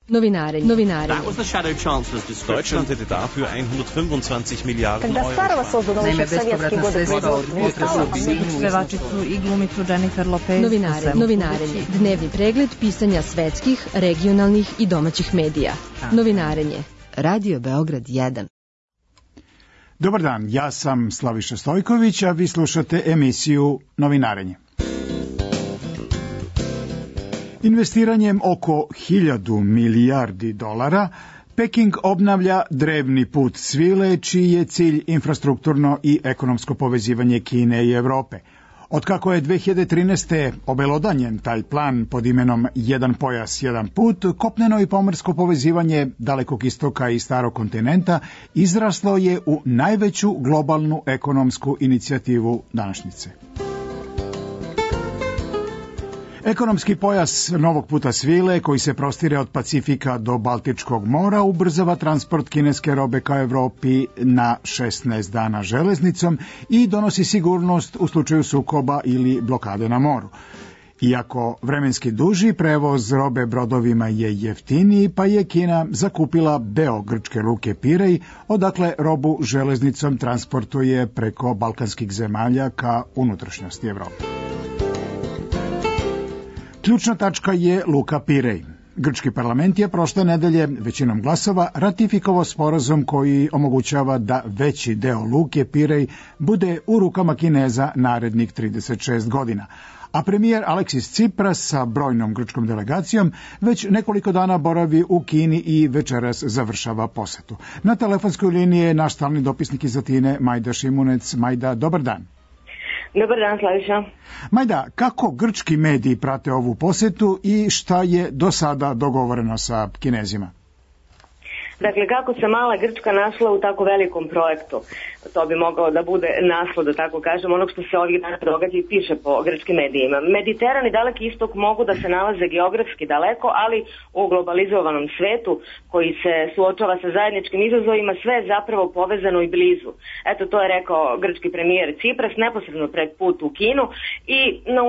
Novinarenje. That was the Shadow Chancellor's description. Deutschland hätte dafür 125 Milijarden Когда Старого создано еще в советские годы Pevačicu i glumicu Jennifer Lopez. Novinarenje. Dnevni pregled pisanja svetskih, regionalnih i domaćih medija. Novinarenje. Radio Beograd 1. Dobar dan, ja sam Slaviša Stojković, a vi slušate emisiju Novinarenje. Investiranjem oko 1000 milijardi dolara, Peking obnavlja drevni put svile, čiji je cilj infrastrukturno i ekonomsko povezivanje Kine i Evrope. Otkako je 2013. obelodanjen taj plan pod imenom Jedan pojas, jedan put, kopneno i pomorsko povezivanje Dalekog istoka i Starog kontinenta izraslo je u najveću globalnu ekonomsku inicijativu današnjice. Ekonomski pojas novog puta svile, koji se prostire od Pacifika do Baltičkog mora, ubrzava transport kineske robe ka Evropi na 16 dana železnicom i donosi sigurnost u slučaju sukoba ili blokade na moru. Iako vremenski duži, prevoz robe brodovima je jeftiniji, pa je Kina zakupila deo grčke luke Pirej, odakle robu železnicom transportuje preko balkanskih zemalja ka unutrašnjosti Evrope. Ključna tačka je luka Pirej. Grčki parlament je prošle nedelje većinom glasova ratifikovao sporazum koji omogućava da veći deo luke Pirej bude u rukama Kineza narednih 36 godina. A premijer Aleksis Tsipras sa brojnom grčkom delegacijom već nekoliko dana boravi u Kini i večeras završava posetu. Na telefonskoj liniji je naš stalni dopisnik iz Atine, Majda Šimunec. Majda, dobar dan. Dobar dan, Slaviša. Majda, kako grčki mediji prate ovu posetu i šta je do sada dogovoreno sa Kinezima? Dakle, kako se mala Grčka našla u tako velikom projektu? To bi mogao da bude naslov, da tako kažem, onog što se ovih dana događa i piše po grčkim medijima. Mediteran i Daleki istok mogu da se nalaze geografski daleko, ali u globalizovanom svetu koji se suočava sa zajedničkim izazovima, sve je zapravo povezano i blizu. Eto, to je rekao grčki premijer Tsipras neposredno pred put u Kinu i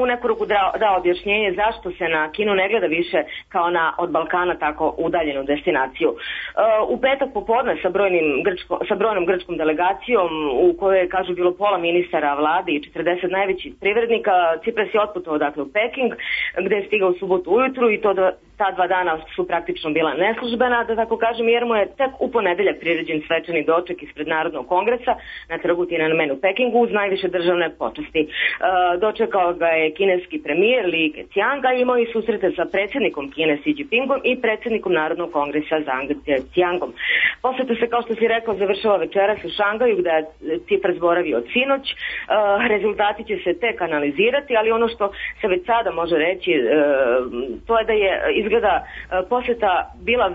u neku ruku dao objašnjenje zašto se na Kinu ne gleda više kao na od Balkana tako udaljenu destinaciju. U petak popodne sa brojnom grčkom delegacijom u kojoj je, kažu, bilo pola ministara vlade i 40 najvećih privrednika, Tsipras je otputovao dakle u Peking, gde je stigao u subotu ujutru i ta 2 dana su praktično bila neslužbena, da tako kažem, jer mu je tek u ponedeljak priređen svečani doček ispred Narodnog kongresa na trgu Tiananmen u Pekingu uz najviše državne počasti. Dočekao ga je kineski premijer Li Keqiang, a imao i susrete sa predsjednikom Kine Xi Jinpingom i predsjednikom Narodnog kongresa Zhang Zhejiangom. Poseta se, kao što si rekao, završava večeras u Šangaju, gde je Tsipras boravio od sinoć. Rezultati će se tek analizirati, ali ono što se već sada može reći, to je da je izgleda poseta bila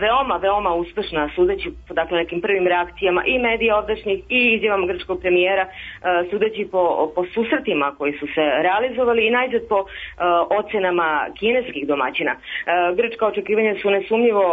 veoma uspešna, sudeći po dakle nekim prvim reakcijama i medija ovdašnjih i izjavama grčkog premijera, sudeći po susretima koji su se realizovali i najzad po ocenama kineskih domaćina. Grčka očekivanja su nesumnjivo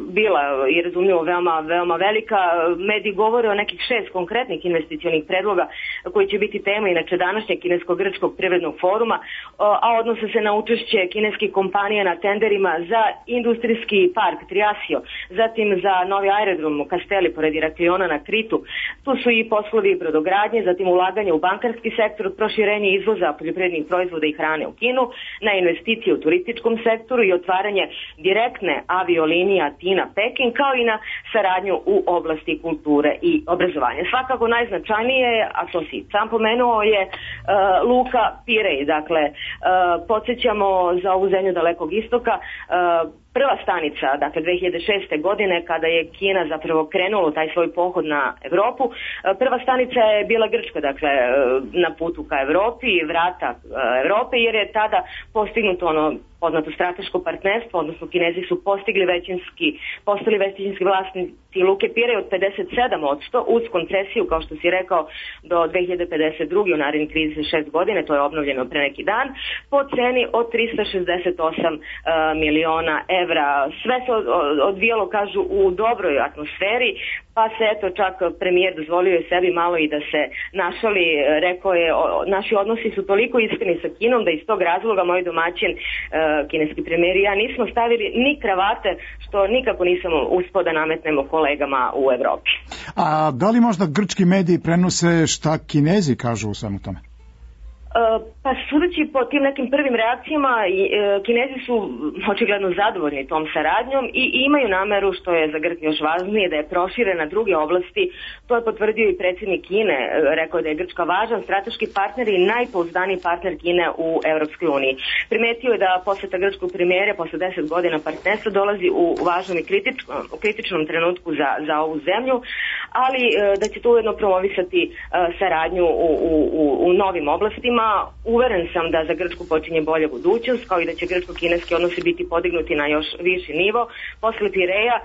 bila i razumljivo veoma velika. Mediji govore o nekih 6 konkretnih investicionih predloga koji će biti tema inače današnjeg kinesko-grčkog privrednog foruma, a odnose se na učešće kineskih kompanija na tenderima za industrijski park Triasio, zatim za novi aerodrom Kasteli pored Irakliona na Kritu. Tu su i poslovi brodogradnje, zatim ulaganje u bankarski sektor, proširenje izvoza poljoprivrednih proizvoda i hrane u Kinu, na investicije u turističkom sektoru i otvaranje direktne aviolinije Atina-Peking, kao i na saradnju u oblasti kulture i obrazovanja. Svakako najznačajnije, a to si sam pomenuo, je luka Pirej. Dakle, podsjećamo za ovu zemlju Dalekog istoka, prva stanica, dakle 2006. godine, kada je Kina zapravo krenula taj svoj pohod na Evropu, prva stanica je bila Grčka, dakle na putu ka Evropi, vrata Evrope, jer je tada postignuto ono poznato strateško partnerstvo, odnosno Kinezi su postali većinski vlasnici luke Pirej od 57% uz koncesiju, kao što si rekao, do 2052. u narednih 36 godine, to je obnovljeno pre neki dan, po ceni od 368 miliona evra, sve se odvijalo, kažu, u dobroj atmosferi, pa se eto čak premijer dozvolio je sebi malo i da se našali, rekao je, naši odnosi su toliko iskreni sa Kinom da iz tog razloga moj domaćin, kineski premijer i ja nismo stavili ni kravate, što nikako nisam uspio da nametnemo kolegama u Evropi. A da li možda grčki mediji prenose šta Kinezi kažu u svemu tome? Pa sudeći po tim nekim prvim reakcijama, Kinezi su očigledno zadovoljni tom saradnjom i imaju nameru, što je za Grčku još važnije, da je prošire na druge oblasti. To je potvrdio i predsjednik Kine, rekao je da je Grčka važan strateški partner i najpouzdaniji partner Kine u Europskoj uniji. Primetio je da posjeta grčkog premijera posle 10 godina partnerstva dolazi u važnom i kritičnom trenutku za ovu zemlju, ali da će to ujedno promovisati saradnju u novim oblastima. Uveren sam da za Grčku počinje bolja budućnost, kao i da će grčko-kineski odnosi biti podignuti na još viši nivo. Posle Pireja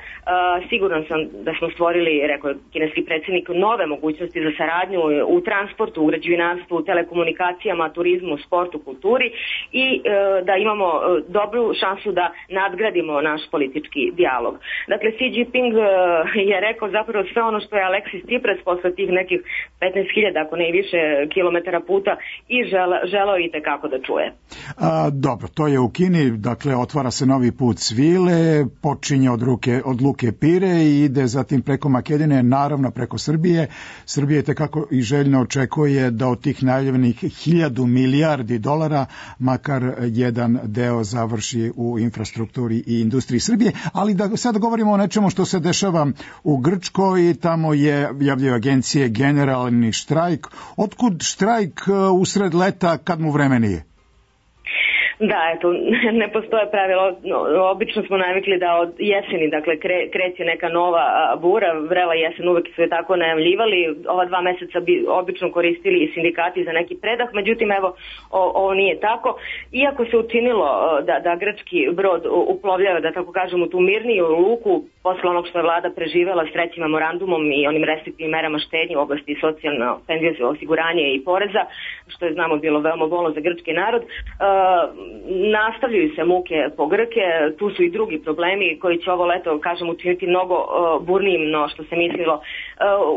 siguran sam da smo stvorili, rekao je kineski predsjednik, nove mogućnosti za saradnju u transportu, u građevinarstvu, u telekomunikacijama, turizmu, sportu, kulturi i da imamo dobru šansu da nadgradimo naš politički dijalog. Dakle, Xi Jinping je rekao zapravo sve ono što je Alexis Tsipras posle tih nekih 15.000, ako ne i više kilometara puta i želeo i tekako da čuje. Dobro, to je u Kini, dakle otvara se novi put svile, počinje od luke Pire i ide zatim preko Makedonije, naravno preko Srbije. Srbije tekako i željno očekuje da od tih najavljenih 1.000 milijardi dolara makar jedan deo završi u infrastrukturi i industriji Srbije, ali da sad govorimo o nečemu što se dešava u Grčkoj, tamo je javljaju agencije generalni štrajk. Otkud štrajk usred leta kad mu vreme nije? Da, eto, ne postoje pravila. Obično smo navikli da od jeseni, dakle, kreće neka nova bura, vrela jesen, uvek su je tako najavljivali. Ova 2 meseca bi obično koristili i sindikati za neki predah, međutim, evo, ovo nije tako. Iako se učinilo da grčki brod uplovljava, da tako kažem, u tu mirniju luku, posle onog što je vlada preživela s 3. memorandumom i onim restriktivnim merama štednje u oblasti socijalno penzijskog osiguranja i poreza, što je, znamo, bilo veoma bolno za grčki narod, nastavljaju se muke po Grke, tu su i drugi problemi koji će ovo leto, kažem, učiniti mnogo burnijim no što se mislilo.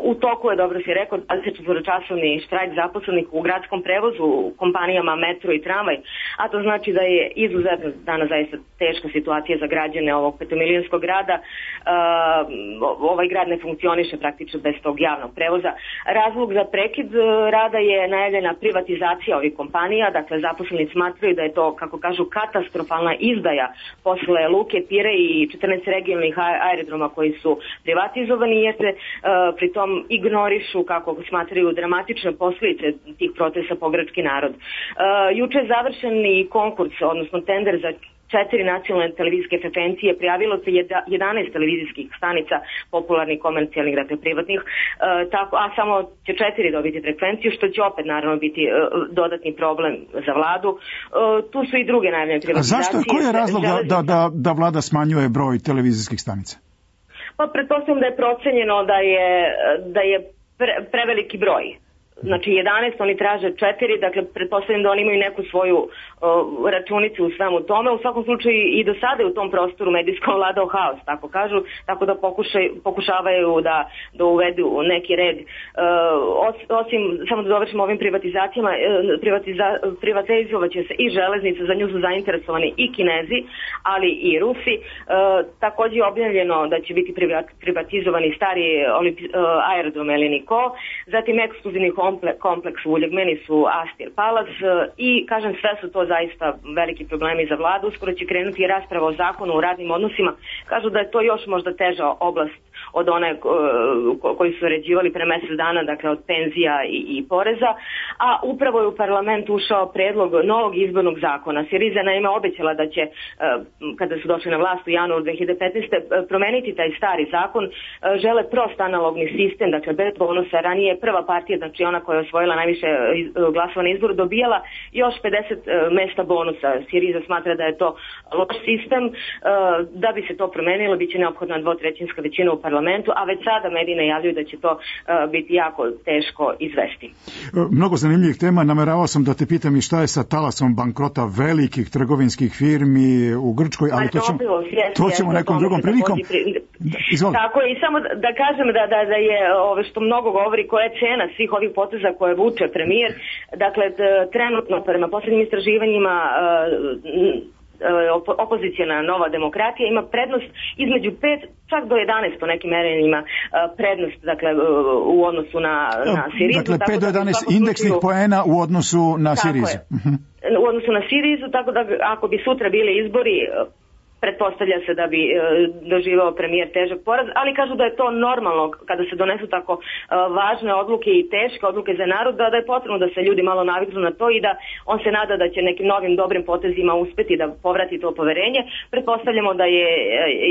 U toku je, dobro si rekao, 24-časovni štrajk zaposlenih u gradskom prevozu, u kompanijama metro i tramvaj, a to znači da je izuzetno danas zaista teška situacija za građane ovog 5-milionskog grada. Ovaj grad ne funkcioniše praktično bez tog javnog prevoza. Razlog za prekid rada je najavljena privatizacija ovih kompanija, dakle zaposleni smatraju da je to, kako kažu, katastrofalna izdaja posle luke Pire i 14 regionalnih aerodroma koji su privatizovani, jer se pritom ignorišu, kako smatraju, dramatične posljedice tih procesa po grčki narod. Juče je završen i konkurs, odnosno tender za 4 nacionalne televizijske frekvencije, prijavilo se 11 televizijskih stanica, popularnih, komercijalnih, dakle privatnih, a samo će 4 dobiti frekvenciju, što će opet naravno biti dodatni problem za vladu. Tu su i druge najavljene privatizacije. A zašto? Koji je razlog da vlada smanjuje broj televizijskih stanica? Pa pretpostavljam da je procenjeno da je preveliki broj. Znači 11, oni traže 4, dakle pretpostavljam da oni imaju neku svoju računicu u svemu tome. U svakom slučaju i do sada u tom prostoru medijskom vladao haos, tako kažu, tako da pokušavaju da uvedu neki red. Osim, samo da dovršimo ovim privatizacijama, privatizovat će se i železnica, za nju su zainteresovani i Kinezi, ali i Rusi. Također je objavljeno da će biti privatizovani stari aerodrom Eliniko, zatim ekskluzivni kompleks u Uljegmeni su Astir Palace i, kažem, sve su to zaista veliki problemi za vladu. Uskoro će krenuti rasprava o zakonu o radnim odnosima. Kažu da je to još možda teža oblast od one koji su uređivali pre mjesec dana, dakle od penzija i poreza, a upravo je u parlament ušao predlog novog izbornog zakona. Siriza naime obećala da će, kada su došli na vlast u januaru 2015. promeniti taj stari zakon. Žele prost analogni sistem, dakle bez bonusa. Ranije je prva partija, znači ona koja je osvojila najviše glasova na izboru, dobijala još 50 mesta bonusa. Siriza smatra da je to loš sistem. Da bi se to promenilo, bit će neophodna 2/3 većina u parlamentu, a već sada mediji najavljuju da će to biti jako teško izvesti. Mnogo zanimljivo zanimljivih tema. Nameravao sam da te pitam i šta je sa talasom bankrota velikih trgovinskih firmi u Grčkoj, ali to ćemo nekom drugom prilikom. Tako je, i samo da kažem da je što mnogo govori koja je cena svih ovih poteza koje vuče premijer. Dakle, trenutno prema posljednjim istraživanjima opozicijona Nova demokratija ima prednost između 5 čak do 11 po nekim merenjima prednost, dakle, u odnosu na Sirizu. Dakle, 5 do 11 indeksnih poena u odnosu na Sirizu. U odnosu na Sirizu, tako da ako bi sutra bili izbori, pretpostavlja se da bi doživao premijer težak poraz, ali kažu da je to normalno kada se donesu tako važne odluke i teške odluke za narod, da je potrebno da se ljudi malo naviknu na to i da on se nada da će nekim novim dobrim potezima uspeti da povrati to poverenje. Pretpostavljamo da je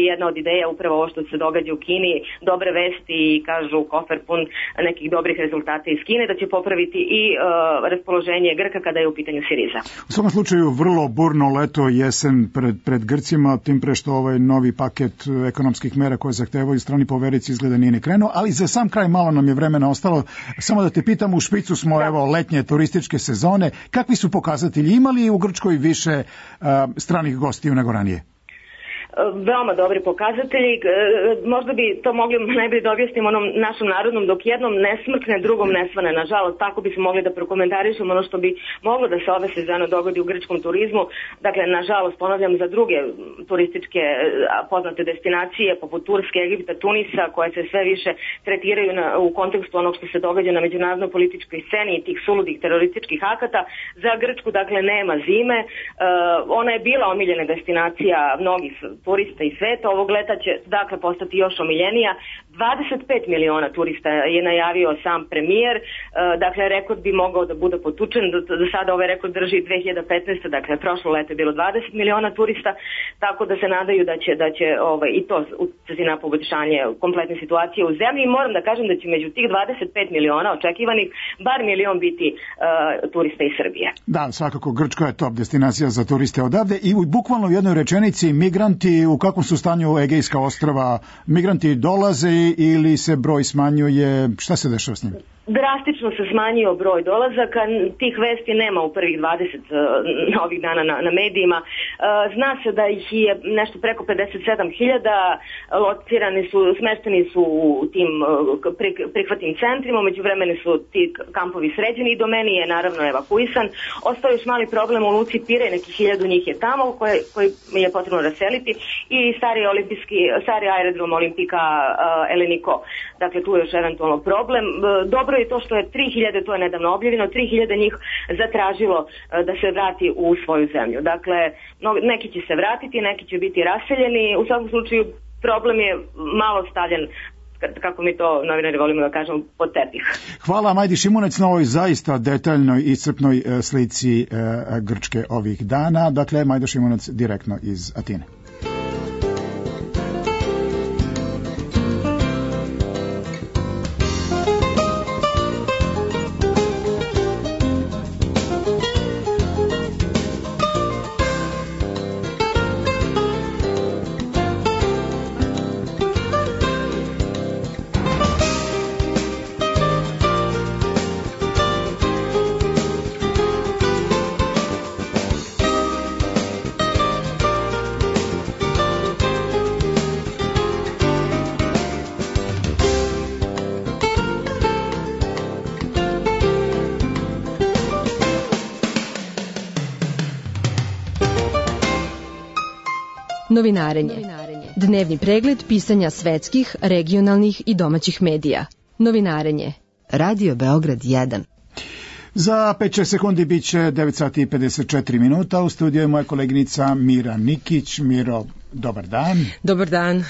jedna od ideja upravo ovo što se događa u Kini, dobre vesti i kažu kofer pun nekih dobrih rezultata iz Kine, da će popraviti i raspoloženje Grka kada je u pitanju Siriza. U svakom slučaju vrlo burno leto, jesen pred Grcima, tim pre što ovaj novi paket ekonomskih mera koje zahtevaju strani poverici izgleda nije ni krenuo, ali za sam kraj malo nam je vremena ostalo. Samo da te pitam, u špicu smo evo letnje turističke sezone. Kakvi su pokazatelji? Ima li u Grčkoj više stranih gostiju nego ranije? Veoma dobri pokazatelji, možda bi to mogli najbolje da objasnimo onom našom narodnom, dok jednom ne smrkne, drugom ne svane. Nažalost, tako bismo mogli da prokomentarišemo ono što bi moglo da se ove sezone dogodi u grčkom turizmu. Dakle, nažalost, ponavljam, za druge turističke poznate destinacije, poput Turske, Egipta, Tunisa, koje se sve više tretiraju u kontekstu onog što se događa na međunarodnoj političkoj sceni i tih suludih terorističkih akata. Za Grčku, dakle, nema zime. Ona je bila omiljena destinacija mnogih turista i sveta. Ovog leta će dakle postati još omiljenija. 25 miliona turista je najavio sam premijer. Dakle, rekord bi mogao da bude potučen. Do sada ovaj rekord drži 2015. Dakle, prošlo leto je bilo 20 miliona turista, tako da se nadaju da će i to utjecati na poboljšanje kompletne situacije u zemlji. I moram da kažem da će među tih 25 miliona očekivanih bar milion biti turista iz Srbije. Da, svakako Grčka je top destinacija za turiste odavde i bukvalno u jednoj rečenici migranti, u kakvom su stanju Egejska ostrva? Migranti dolaze ili se broj smanjuje? Šta se dešava s njim? Drastično se smanjio broj dolazaka, tih vesti nema u prvih 20 ovih dana na medijima. Zna se da ih je nešto preko 57.000, smešteni su u tim prihvatnim centrima, među vremenu su ti kampovi sređeni i do meni je naravno evakuisan. Ostao još mali problem u luci Pirej, nekih 1000 njih je tamo koji je potrebno raseliti i stari aerodrom Olimpika Eleniko. Dakle, tu je još eventualno problem. Dobro je to što je 3000, to je nedavno objavljeno, 3000 njih zatražilo da se vrati u svoju zemlju. Dakle, neki će se vratiti, neki će biti raseljeni. U svakom slučaju problem je malo stavljen, kako mi to novinari volimo da kažemo, pod tepih. Hvala Majdi Šimunec na ovoj zaista detaljnoj i iscrpnoj slici Grčke ovih dana. Dakle, Majda Šimunec direktno iz Atine. Novinarenje. Dnevni pregled pisanja svetskih, regionalnih i domaćih medija. Novinarenje. Radio Beograd 1. Za 5 sekundi bit će 9 sati i 54 minuta. U studiju je moja koleginica Mira Nikić. Miro, dobar dan. Dobar dan.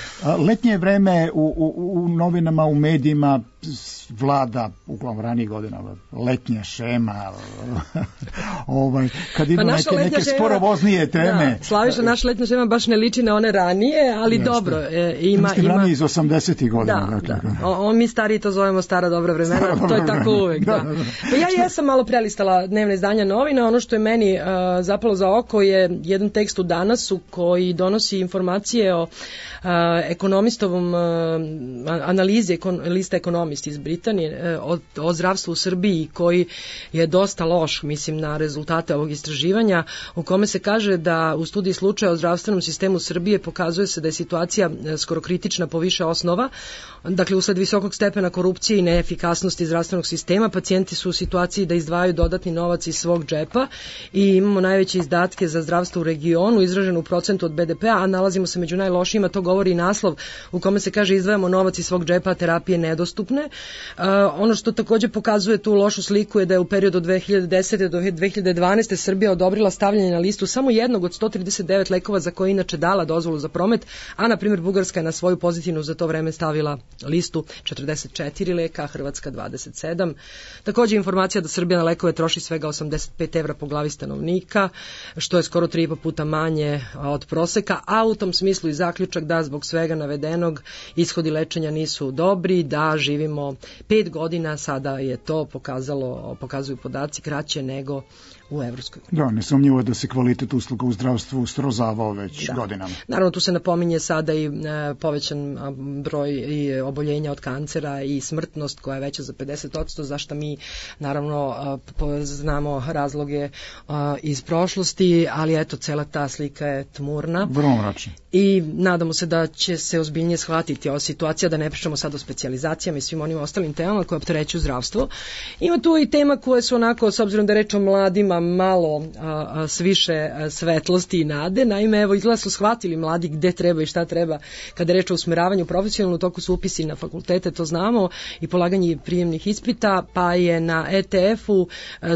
Letnje vreme u novinama, u medijima vlada, uglavnom ranijih godina, letnja šema, kad idu neke sporovoznije teme. Da, Slaviša, naša letnja šema baš ne liči na one ranije, ali jeste. Dobro. Ima ranije iz 80-ih godina. Da. Mi stariji to zovemo stara dobra vremena, to je tako uvek. Da. Pa ja jesam malo prelistala dnevne izdanja novina, ono što je meni zapalo za oko je jedan tekst u Danasu koji donosi informacije o ekonomistovom analizi lista ekonomista Economist iz Britanije o zdravstvu u Srbiji koji je dosta loš, mislim, na rezultate ovog istraživanja, u kome se kaže da u studiji slučaja o zdravstvenom sistemu Srbije pokazuje se da je situacija skoro kritična po više osnova. Dakle, usled visokog stepena korupcije i neefikasnosti zdravstvenog sistema, pacijenti su u situaciji da izdvajaju dodatni novac iz svog džepa i imamo najveće izdatke za zdravstvo u regionu, izraženo u procentu od BDP-a, a nalazimo se među najlošijima, to govori i naslov u kome se kaže izdvajamo novac iz svog džepa, a terapije nedostupne. Ono što takođe pokazuje tu lošu sliku je da je u periodu od 2010. do 2012. Srbija odobrila stavljanje na listu samo jednog od 139 lekova za koje inače dala dozvolu za promet, a na primjer Bugarska je na svoju pozitivnu za to vreme stavila listu 44 leka, a Hrvatska 27. Takođe informacija da Srbija na lekove troši svega 85 evra po glavi stanovnika, što je skoro 3,5 puta manje od proseka, a u tom smislu i zaključak da zbog svega navedenog ishodi lečenja nisu dobri, da živimo 5 godina, sada je to pokazuju podaci kraće nego u Evropskoj uniji. Da, nesumnjivo je da se kvalitet usluga u zdravstvu srozavao već godinama. Naravno, tu se napominje sada i povećan broj i oboljenja od kancera i smrtnost koja je veća za 50%, zašto mi naravno znamo razloge iz prošlosti, ali eto, cela ta slika je tmurna. Vrlo mračna. I nadamo se da će se ozbiljnije shvatiti ova situacija, da ne pričamo sad o specijalizacijama i svim onim ostalim temama koje opterećuju zdravstvo. Ima tu i tema koje su onako, s obzirom da reč o mladima, malo s više svetlosti i nade. Naime, evo, izgleda su shvatili mladi gde treba i šta treba kada reč o usmeravanju profesionalno, u toku su upisi na fakultete, to znamo, i polaganje prijemnih ispita, pa je na ETF-u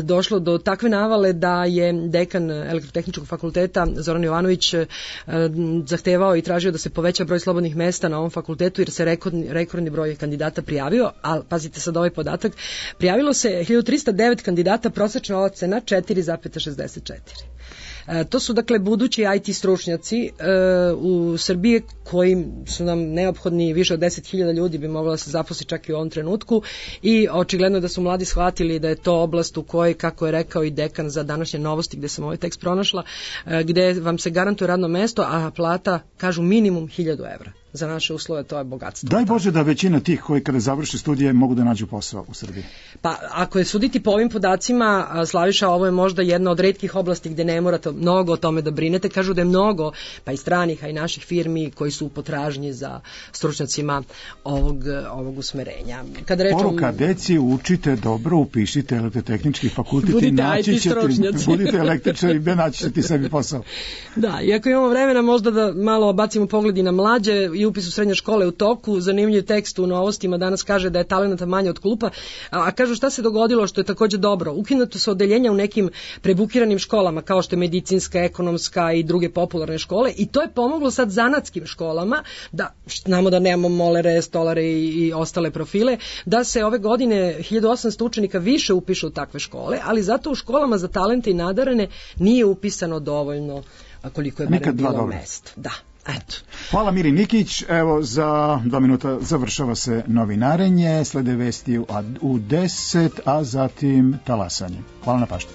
došlo do takve navale da je dekan Elektrotehničkog fakulteta Zoran Jovanović zahtevao i tražio da se poveća broj slobodnih mesta na ovom fakultetu, jer se rekordni broj kandidata prijavio, a pazite sad ovaj podatak, prijavilo se 1309 kandidata, prosečna ocena 4,64. To su dakle budući IT stručnjaci u Srbiji koji su nam neophodni, više od 10.000 ljudi bi moglo da se zaposli čak i u ovom trenutku, i očigledno da su mladi shvatili da je to oblast u kojoj, kako je rekao i dekan za današnje novosti gde sam ovaj tekst pronašla, gde vam se garantuje radno mesto, a plata, kažu, minimum 1.000 evra. Za naše uslove to je bogatstvo. Daj Bože da većina tih koji kada završe studije mogu da nađu posao u Srbiji. Pa ako je suditi po ovim podacima, Slaviša, ovo je možda jedna od retkih oblasti gde ne morate mnogo o tome da brinete. Kažu da je mnogo, pa i stranih, a i naših firmi koji su u potražnji za stručnjacima ovog usmerenja. Poruka deci, učite dobro, upišite elektrotehnički fakultet i budite naći IT stručnjaci. Budite električari i naći ćete sebi posao. Da, iako imamo vremena možda da malo bacimo pogledi na mlađe i upis u srednje škole u toku. Zanimljiv tekst u Novostima danas kaže da je talenata manje od klupa, a kažu šta se dogodilo, što je takođe dobro. Ukinuto su odeljenja u nekim prebukiranim školama, kao što je medicinska, ekonomska i druge popularne škole, i to je pomoglo sad zanatskim školama, da znamo da nemamo molere, stolare i ostale profile, da se ove godine 1800 učenika više upiše u takve škole, ali zato u školama za talente i nadarene nije upisano dovoljno, koliko je barem bilo mesta. Da. Eto. Hvala Miri Nikić. Evo, za 2 minuta završava se novinarenje, slede vesti u 10, a zatim talasanje. Hvala na pažnji.